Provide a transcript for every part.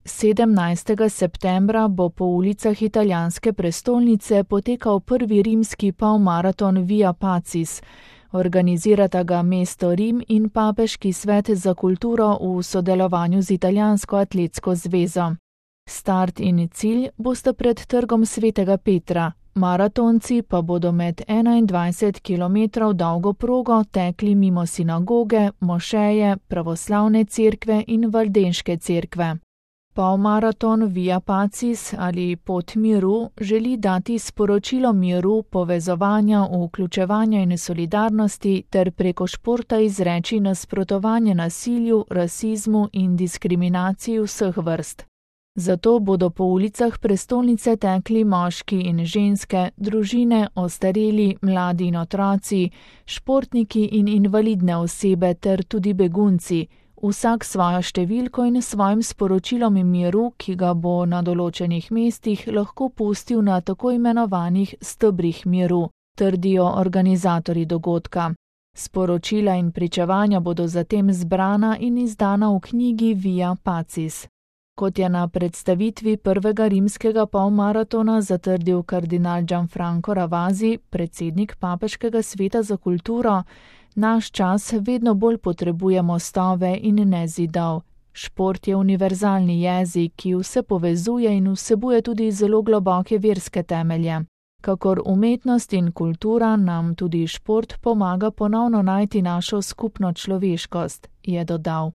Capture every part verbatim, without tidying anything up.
Sedemnajstega septembra bo po ulicah italijanske prestolnice potekal prvi rimski polmaraton Via Pacis. Organizirata ga mesto Rim in Papeški svet za kulturo v sodelovanju z Italijansko atletsko zvezo. Start in cilj bosta pred trgom Svetega Petra, maratonci pa bodo med enaindvajset kilometrov dolgo progo tekli mimo sinagoge, mošeje, pravoslavne cerkve in valdenške cerkve. Polmaraton Via Pacis ali Pot miru želi dati sporočilo miru, povezovanja, vključevanja in solidarnosti ter preko športa izreči nasprotovanje nasilju, rasizmu in diskriminaciji vseh vrst. Zato bodo po ulicah prestolnice tekli moški in ženske, družine, ostareli, mladi in otroci, športniki in invalidne osebe ter tudi begunci, vsak svojo številko in svojim sporočilom miru, ki ga bo na določenih mestih lahko pustil na tako imenovanih stebrih miru, trdijo organizatorji dogodka. Sporočila in pričevanja bodo zatem zbrana in izdana v knjigi Via Pacis. Kot je na predstavitvi prvega rimskega polmaratona zatrdil kardinal Gianfranco Ravasi, predsednik Papeškega sveta za kulturo, naš čas vedno bolj potrebuje mostove in ne zidov. Šport je univerzalni jezik, ki vse povezuje in vsebuje tudi zelo globoke verske temelje. Kakor umetnost in kultura nam tudi šport pomaga ponovno najti našo skupno človeškost, je dodal.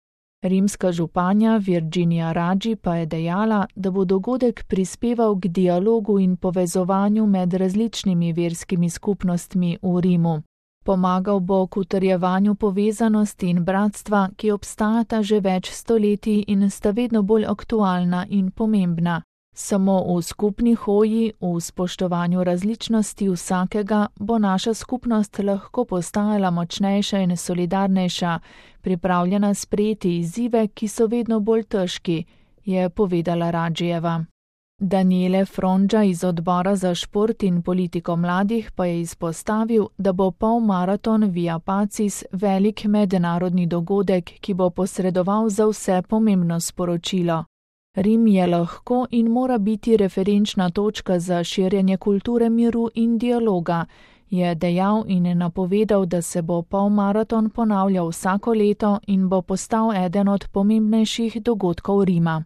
Rimska županja Virginia Raggi pa je dejala, da bo dogodek prispeval k dialogu in povezovanju med različnimi verskimi skupnostmi v Rimu. Pomagal bo k utrjevanju povezanosti in bratstva, ki obstajata že več stoletij in sta vedno bolj aktualna in pomembna. Samo v skupni hoji, v spoštovanju različnosti vsakega, bo naša skupnost lahko postajala močnejša in solidarnejša, pripravljena sprejeti izzive, ki so vedno bolj težki, je povedala Raggijeva. Daniele Frongia iz odbora za šport in politiko mladih pa je izpostavil, da bo polmaraton Via Pacis velik mednarodni dogodek, ki bo posredoval za vse pomembno sporočilo. Rim je lahko in mora biti referenčna točka za širjenje kulture miru in dialoga, je dejal in napovedal, da se bo polmaraton ponavljal vsako leto in bo postal eden od pomembnejših dogodkov Rima.